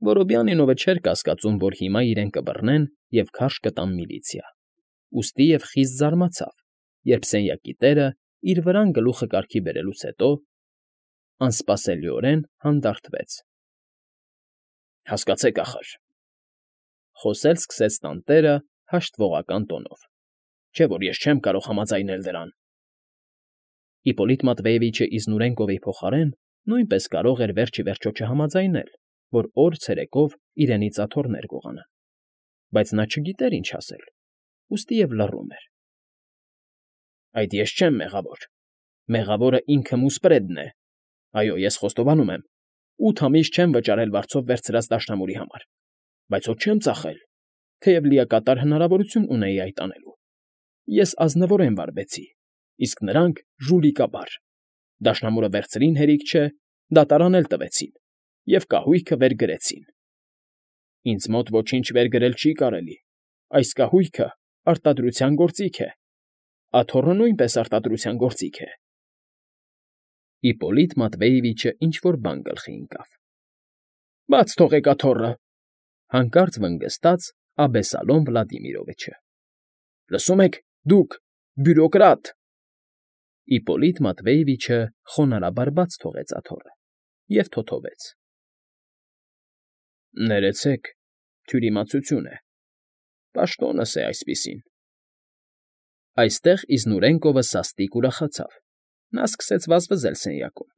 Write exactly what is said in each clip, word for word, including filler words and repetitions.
Որոբյանինովը չէր կասկածում, որ հիմա իրեն կբռնեն և քարշ կտան միլիցիա, ուստի և խիստ զարմացավ, երբ սենյակի տերը իր վրան գլուխը կարգի բերելուց հետո անսպասելիորեն հանդարտվեց։ ֊ Հասկացեք ախր,֊ խոսել սկսեց տանտերը հաշտվողական տոնով,֊ չէ՞ որ ես չեմ կարող համաձայնել դրան։ Իպոլիտ Մատվեևիչը Իզնուրենկովի փոխարեն նույնպես կարող էր վերջ ի վերջո չհամաձայնել, որ օր֊ցերեկով իրենից աթոռներ գողանան, բայց նա չգիտեր ինչ ասել, ուստի և լռում էր։ ֊ Այդ ես չեմ մեղավոր, մեղավորը ինքը Մուսպրեդն է, այո, ես խոստովանում եմ, ութ ամիս չեմ վճարել վարձով վերցրած դաշնամուրի համար, բայց հո չեմ ծախել, թեև լիակատար հնարավորություն ունեի այդ անելու։ Ես ազնվորեն վարվեցի, իսկ նրանք ժուլիկաբար, դաշնամուրը վերցրին հերիք չէ, դատարան էլ տվեցին և կահույքը վեր գրեցին։ Ինձ մոտ ոչինչ վեր գրել չի կարելի, այս կահույքը արտադրության գործիք է, աթոռը նույնպես արտադրության գործիք է։ Իպոլիտ Մատվեևիչը ինչ֊որ բան գլխի ընկավ։ ֊ Բաց թողեք աթոռը,֊ հանկարծ վնգստաց Աբեսալոմ Վլադիմիրովիչը։ ֊ Լսում եք, դուք, բյուրոկրատ… Իպոլիտ Մատվեևիչը խոնարհաբար բաց թողեց աթոռը և թոթվեց։ ֊ Ներեցեք, թյուրիմացություն է, պաշտոնս է այսպիսին… Այստեղ Իզնուրենկովը սաստիկ ուրախացավ, նա սկսեց վազվզել սենյակում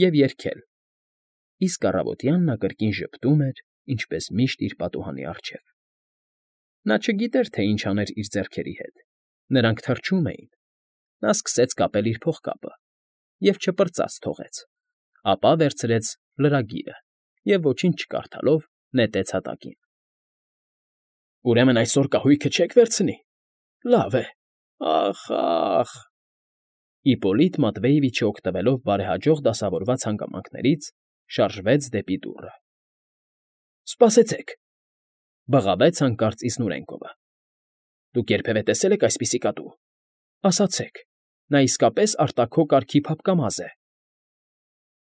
և երգել, իսկ առավոտյան նա կրկին ժպտում էր, ինչպես միշտ իր պատուհանի առջև։ Նա չգիտեր, թե ինչ աներ իր ձեռքերի հետ, նրանք թրջում էին։ Նա սկսեց կապել իր փողկապը և չպրծած թողեց, ապա վերցրեց լրագիրը և, ոչինչ չկարդալով, նետեց հատակին։ ֊ Ուրեմն այսօր կահույքը չեք վերցնի… Լավ է… Ախ, ախ… Իպոլիտ Մատվեևիչը, օգտվելով բարեհաջող դասավորված հանգամանքներից, շարժվեց դեպի դուռը։ ֊ Սպասեցեք,֊ բղավեց հանկարծ Իզնուրենկովը,֊ դուք երբևէ տեսե՞լ եք այսպիսի կատու… Ասացեք, նա իսկապես արտաքո կարգի փափկամազ է…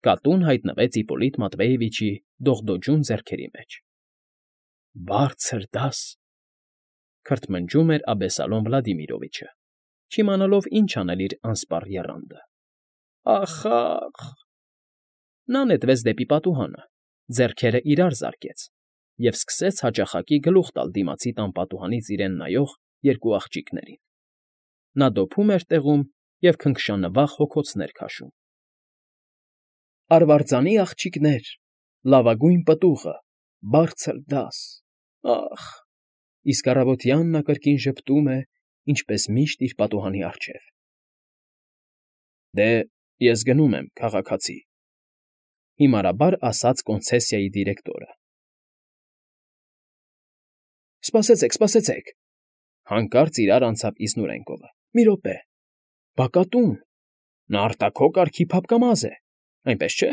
Կատուն հայտնվեց Իպոլիտ Մատվեևիչի դողդոջուն ձեռքերի մեջ։ ֊ Բարձր դաս,֊ քրթմնջում էր Աբեսալոմ Վլադիմիրովիչը, չիմանալով ինչ անել իր անսպառ եռանդը։ ֊ Ախ, ախ… Նա նետվեց դեպի պատուհանը, ձեռքերն իրար զարկեց և սկսեց հաճախակի գլուխ տալ դիմացի տան պատուհանից իրեն նայող երկու աղջիկներին։ Նա դոփում էր տեղում և քնքշանվախ հոգոցներ քաշում։ ֊ Արվարձանի աղջիկներ, լավագույն պտուղը, բարձր դաս… Ախ… Իսկ առավոտյան նա կրկին ժպտում է, ինչպես միշտ իր պատուհանի առջև։ ֊ Դե, ես գնում եմ, քաղաքացի,֊ հիմարաբար ասաց կոնցեսիայի դիրեկտորը։ ֊ Սպասեցեք, սպասեցեք,֊ հանկարծ իրար անցավ Իզնուրենկովը,֊ մի րոպե… Բա կատուն… Նա արտաքո կարգի փափկամազ է, այնպես չէ…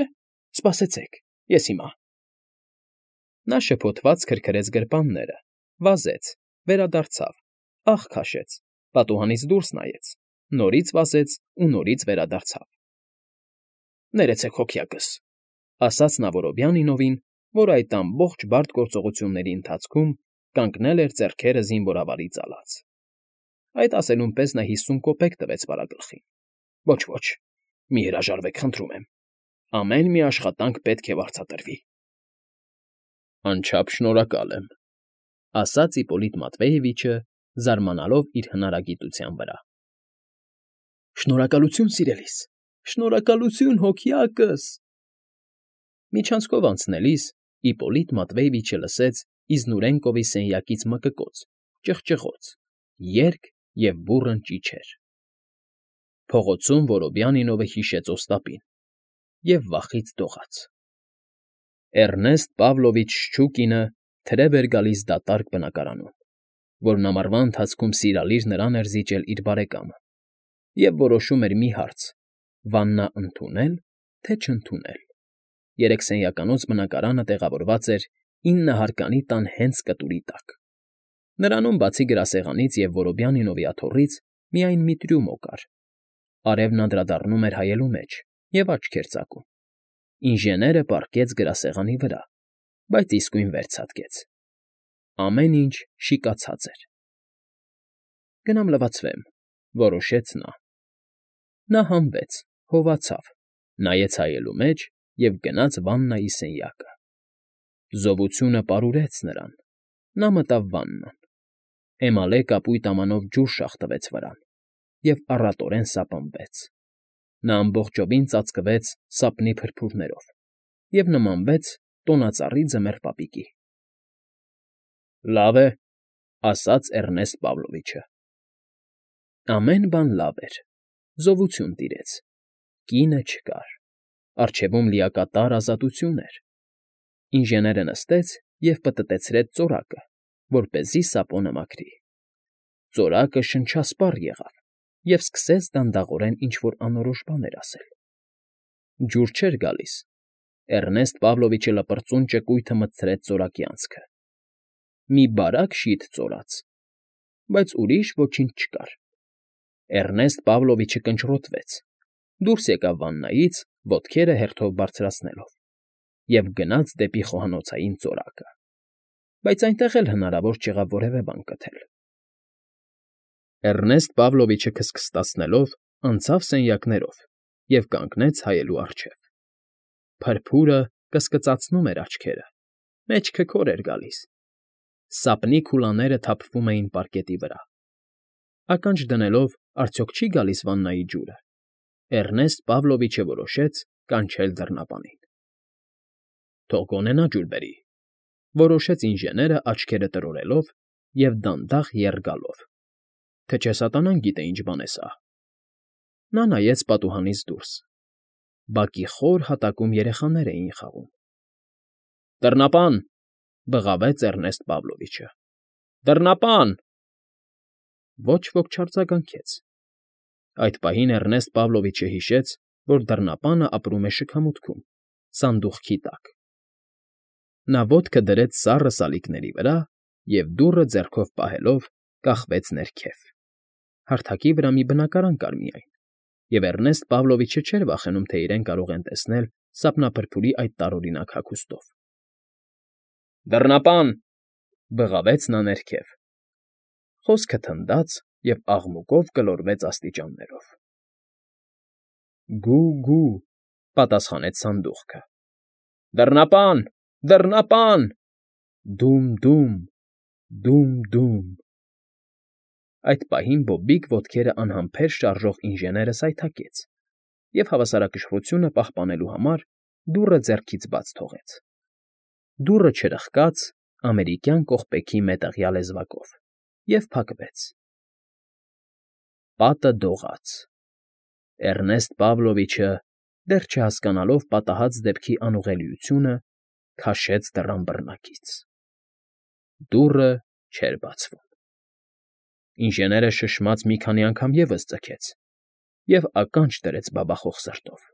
Սպասեցեք, ես հիմա… Նա շփոթված քրքրեց գրպանները, վազեց, վերադարձավ, ախ քաշեց, պատուհանից դուրս նայեց, նորից վազեց ու նորից վերադարձավ։ ֊ Ներեցեք, հոգյակս,֊ ասաց նա Որոբյանինովին, որ այդ ամբողջ բարդ գործողությունների ընթացքում կանգնել էր ձեռքերը զինվորավարի ծալած։ Այդ ասելուն պես նա հիսուն կոպեկ տվեց վարագլխին։ ֊ Ոչ, ոչ, մի հրաժարվեք, խնդրում եմ, ամեն մի աշխատանք պետք է վարձատրվի։ ֊ Անչափ շնորհակալ եմ,֊ ասաց Իպոլիտ Մատվեևիչը, զարմանալով իր հնարագիտության վրա։ ֊ Շնորհակալություն, սիրելիս, շնորհակալություն, հոգյակս… Միջանցքով անցնելիս Իպոլիտ Մատվեևիչը լսեց Իզնուրենկովի սենյակից մկկոց, ճղճղոց, երգ և բուռն ճիչեր։ Փողոցում Որոբյանինովը հիշեց Օստապին և վախից դողաց։ Էռնեստ Պավլովիչ Շչուկինը թրև էր գալիս դատարկ բնակարանում, որն ամառվա ընթացքում սիրալիր նրան էր զիջել իր բարեկամը, և որոշում էր մի հարց՝ վաննա ընդունե՞լ, թե չընդունել։ Երեքսենյականոց բնակարանը տեղավորված էր ինը հարկանի տան հենց կտուրի տակ։ Նրանում, բացի գրասեղանից և Որոբյանինովի աթոռից, միայն մի տրյումո կար։ Արևն անդրադառնում էր հայելու մեջ և աչք էր ծակում։ Ինժեները պառկեց գրասեղանի վրա, բայց իսկույն վեր ցատկեց։ Ամեն ինչ շիկացած էր։ Գնամ լվացվեմ, որոշեց նա։ Նա հանվեց, հովացավ, նայեց հայելու մեջ և գնաց վաննայի սենյակը։ Զովությունը պարուրեց նրան, նա մտավ վաննան, էմալե կապույտ ամանով ջուր շաղթվեց վրան և առատորեն սապնվեց։ Նա ամբողջովին ծածկվեց սապնի փրփուրներով և նմանվեց տոնածառի ձմեռ պապիկի։ ֊ Լավ է,֊ ասաց Էռնեստ Պավլովիչը։ Ամեն բան լավ էր, զովություն տիրեց, կինը չկար, առջևում լիակատար ազատություն էր։ Ինժեները նստեց և պտտեցրեց ծորակը, որպեսզի սապոնը մաքրի։ Ծորակը շնչասպառ եղավ և սկսեց դանդաղորեն ինչ֊որ անորոշ բաներ ասել։ Ջուր չէր գալիս։ Էռնեստ Պավլովիչը լպրծուն ճկույթը մտցրեց ծորակի անցքը։ Մի բարակ շիթ ծորաց, բայց ուրիշ ոչինչ չկար։ Էռնեստ Պավլովիչը կնճռոտվեց, դուրս եկավ վաննայից, ոտքերը հերթով բարձրացնելով, և գնաց դեպի խոհանոցային ծորակը, բայց այնտեղ էլ հնարավոր չեղավ որևէ բան գտել։ Էռնեստ Պավլովիչը քստքստացնելով անցավ սենյակներով և կանգնեց հայելու առջև։ Փրփուրը կսկծացնում էր աչքերը, մեջքը քոր էր գալիս։ Սապնի քուլաները թափվում էին պարկետի վրա։ Ականջ դնելով՝ արդյոք չի՞ գալիս վաննայի ջուրը, Էռնեստ Պավլովիչը որոշեց կանչել դռնապանին։ ֊ Թող գոնե նա ջուր բերի,֊ որոշեց ինժեները աչքերը տրորելով և դանդաղ եռ գալով։ ֊ Թե չէ սատանան գիտե ինչ բան է սա։ Նա նայեց պատուհանից դուրս. բակի խոր հատակում երեխաներ էին խաղում։ ֊ Դռնապան,֊ բղավեց Էռնեստ Պավլովիչը։֊ Դռնապան… Ոչ ոք չարձագանքեց։ Այդ պահին Էռնեստ Պավլովիչը հիշեց, որ դռնապանը ապրում է շքամուտքում, սանդուղքի տակ։ Նա ոտքը դրեց սառը սալիկների վրա և, դուռը ձեռքով պահելով, կախվեց ներքև։ Հարթակի վրա մի բնակարան կար միայն, և Էռնեստ Պավլովիչը չէր վախենում, թե իրեն կարող են տեսնել սապնափրփուրի այդ տարօրինակ հագուստով։ ֊ Դռնապան,֊ բղավեց նա ներքև։ Խոսքը թնդաց և աղմուկով գլորվեց աստիճաններով։ «Գո՛ւ֊գո՛ւ», պատասխանեց սանդուղքը։ «Դռնապան, դռնապան…»։ «Դում֊դում, դում֊դում»։ Այդ պահին բոբիկ ոտքերը անհամբեր շարժող ինժեները սայթաքեց և, հավասարակշռությունը պահպանելու համար, դուռը ձեռքից բաց թողեց։ Դուռը չրխկաց ամերիկյան կողպեքի մետաղյա լեզվակով և փակվեց։ Պատը դողաց։ Էռնեստ Պավլովիչը, դեռ չհասկանալով պատահած դեպքի անուղղելիությունը, քաշեց դռան բռնակից։ Դուռը չէր բացվում։ Ինժեները շշմած մի քանի անգամ ևս ձգեց և ականջ դրեց բաբախող սրտով։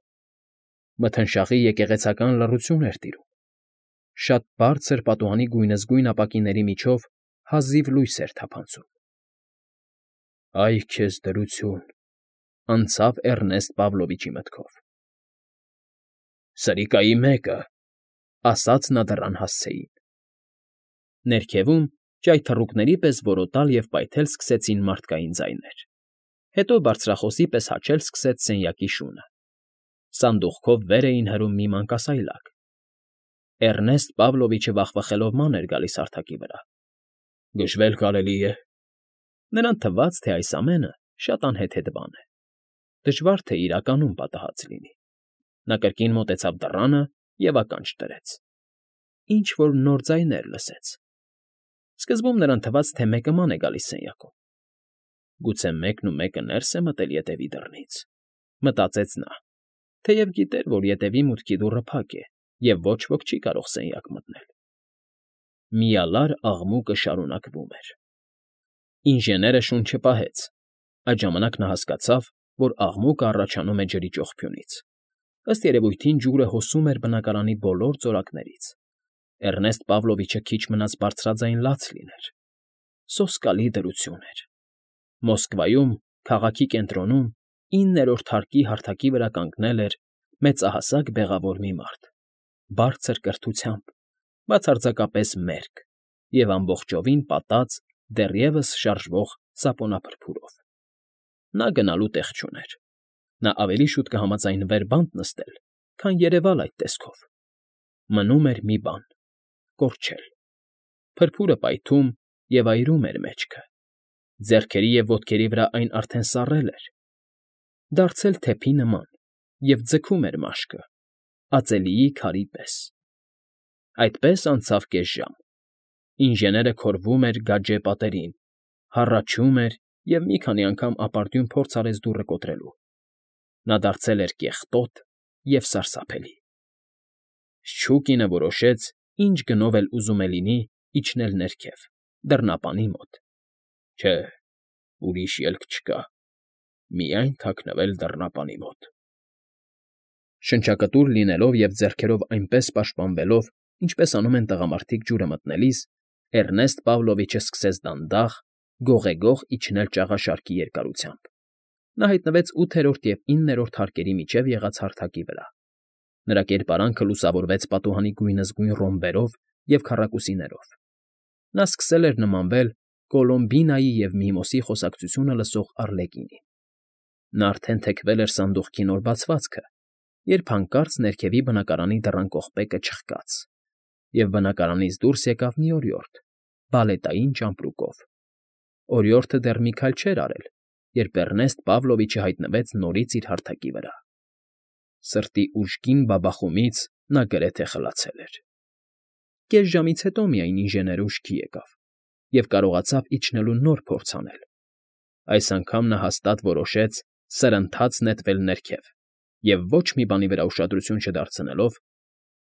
Մթնշաղի եկեղեցական լռություն էր տիրում։ Շատ բարձր պատուհանի գույնզգույն ապակիների միջով հազիվ լույս էր թափանցում։ «Այ քեզ դրություն…֊ անցավ Էռնեստ Պավլովիչի մտքով։ Սրիկայի մեկը…֊ ասաց նա դռան հասցեին։ Ներքևում ճայթռուկների պես որոտալ և պայթել սկսեցին մարդկային ձայներ, հետո բարձրախոսի պես հաչել սկսեց սենյակի շունը։ Սանդուղքով վեր էին հրում մի մանկասայլակ։ Էռնեստ Պավլովիչը վախվխելով ման էր գալիս հարթակի վրա։ «Գժվել կարելի է…» Նրան թվաց, թե այս ամենը շատ անհեթեթ բան է, դժվար թե իրականում պատահած լինի։ Նա կրկին մոտեցավ դռանը և ականջ դրեց։ Ինչ֊որ նոր ձայներ լսեց։ Սկզբում նրան թվաց, թե մեկը ման է գալիս սենյակում։ Գուցե մեկն ու մեկը ներս է մտել ետևի դռնից, մտածեց նա, թեև գիտեր, որ ետևի մուտքի դուռը փակ է և ոչ ոք չի կարող սենյակ մտնել։ Միալար աղմուկը շարունակվում էր։ Ինժեները շունչը պահեց։ Այդ ժամանակ նա հասկացավ, որ աղմուկը առաջանում է ջրի ճողփյունից։ Ըստ երևույթին ջուրը հոսում էր բնակարանի բոլոր ծորակներից։ Էռնեստ Պավլովիչը քիչ մնաց բարձրաձայն լաց լիներ։ Սոսկալի դրություն էր։ Մոսկվայում, քաղաքի կենտրոնում, իններորդ հարկի հարթակի վրա կանգնել էր մեծահասակ բեղավոր մի մարդ, բարձր կրթությամբ, բացարձակապես մերկ և ամբողջովին պատած դեռևս շարժվող սապոնափրփուրով։ Նա գնալու տեղ չուներ։ Նա ավելի շուտ կհամաձայնվեր բանտ նստել, քան երևալ այդ տեսքով։ Մնում էր մի բան՝ կորչել։ Փրփուրը պայթում և այրում էր մեջքը։ Ձեռքերի և ոտքերի վրա այն արդեն սառել էր, դարձել թեփի նման և ձգում էր մաշկը, ածելիի քարի պես։ Այդպես անցավ կես ժամ։ Ինժեները քորվում էր գաճե պատերին, հառաչում էր և մի քանի անգամ ապարդյուն փորձ արեց դուռը կոտրելու։ Նա դարձել էր կեղտոտ և սարսափելի։ Շչուկինը որոշեց, ինչ գնով էլ ուզում է լինի, իջնել ներքև, դռնապանի մոտ։ Չէ, ուրիշ ելք չկա, միայն թաքնվել դռնապանի մոտ։ Շնչակտուր լինելով և ձեռքերով այնպես պաշտպանվելով, ինչպես անում են տղամարդիկ ջուրը մտնելիս, Էռնեստ Պավլովիչը սկսեց դանդաղ, գողեգող իջնել ճաղաշարքի երկարությամբ։ Նա հայտնվեց ութերորդ և իններորդ հարկերի միջև եղած հարթակի վրա։ Նրա կերպարանքը լուսավորվեց պատուհանի գույնզգույն ռոմբերով և քառակուսիներով։ Նա սկսել էր նմանվել Կոլոմբինայի և Միմոսի խոսակցությունը լսող Առլեկինի։ Նա արդեն թեքվել էր սանդուղքի նոր բացվածքը, երբ հանկարծ ներքևի բնակարանի դռան կողպեկը չխկաց, և բնակարանից դուրս եկավ մի օրիորդ՝ բալետային ճամպրուկով։ Օրիորդը դեռ մի քայլ չէր արել, երբ Էռնեստ Պավլովիչը հայտնվեց նորից իր հարթակի վրա։ Սրտի ուժգին բաբախումից նա գրեթե խլացել էր։ Կես ժամից հետո միայն ինժեները ուշքի եկավ և կարողացավ իջնելու նոր փորձ անել։ Այս անգամ նա հաստատ որոշեց սրընթաց նետվել ներքև և ոչ մի բանի վրա ուշադրություն չդարձնելով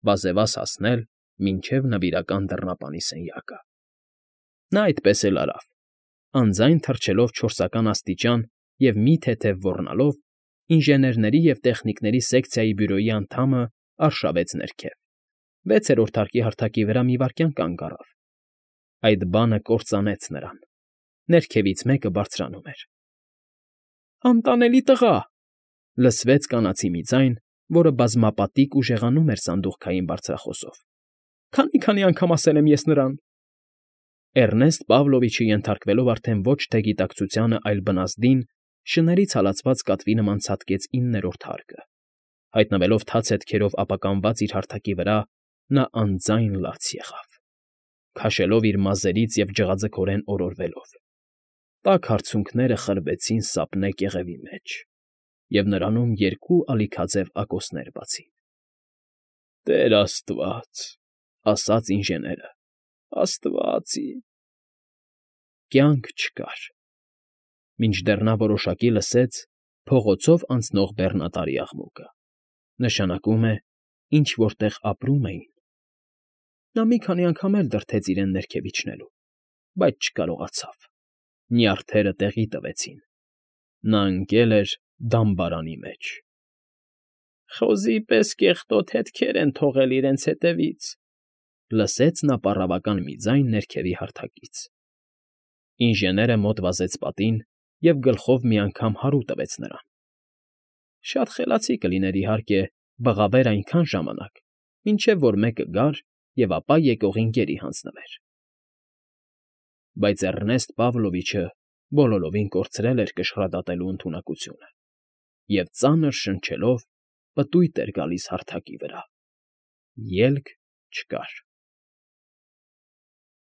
վազևազ հասնել մինչև նվիրական դռնապանի սենյակը։ Նա այդպես էլ արավ, անձայն թռչելով չորսական աստիճան և մի թեթև ոռնալով, ինժեներների և տեխնիկների սեկցիայի բյուրոյի անդամը արշավեց ներքև, վեցերորդ հարկի հարթակի վրա մի վայրկյան կանգ առավ։ Այդ բանը կործանեց նրան։ Ներքևից մեկը բարձրանում էր։ «Անտանելի տղա», լսվեց կանացի մի ձայն, որը բազմապատիկ ուժեղանում էր սանդուղքային բարձրախոսով։ «Քանի՜֊քանի՜ անգամ ասել եմ ես նրան»։ Էռնեստ Պավլովիչը, ենթարկվելով արդեն ոչ թե գիտակցությանը, այլ բնազդին, շներից հալածված կատվի նման ցատկեց իններորդ հարկը։ Հայտնվելով թաց հետքերով ապականված իր հարթակի վրա, նա անձայն լաց եղավ, քաշելով իր մազերից և ջղաձգորեն օրորվելով։ Տաք արցունքները խրվեցին սապնե կեղևի մեջ, և նրանում երկու ալիքաձև ակոսներ բացին։ «Տեր աստված», ֊ ասաց ինժեները, ֊ «աստվա՜ծ իմ»։ Կյանք չկար։ Մինչդեռ նա որոշակի լսեց փողոցով անցնող բեռնատարի աղմուկը։ Նշանակում է, ինչ֊որ տեղ ապրում էին։ Նա մի քանի անգամ էլ դրդեց իրեն ներքև իջնելու, բայց չկարողացավ։ Նյարդերը տեղի տվեցին։ Նա ընկել էր դամբարանի մեջ։ «Խոզի պես կեղտոտ հետքեր են թողել իրենց հետևից», ֊ լսեց նա պառավական մի ձայն ներքևի հարթակից։ Ինժեները մոտ վազեց պատին և գլխով մի անգամ հարու տվեց նրան։ Շատ խելացի կլիներ, իհարկե, բղավեր այնքան ժամանակ, մինչև որ մեկը գար և ապա եկողին գերի հանձնվեր։ Բայց Էռնեստ Պավլովիչը բոլորովին կորցրել էր կշռադատելու ընդունակությունը և ծանր շնչելով պտույտ էր գալիս հարթակի վրա։ Ելք չկար։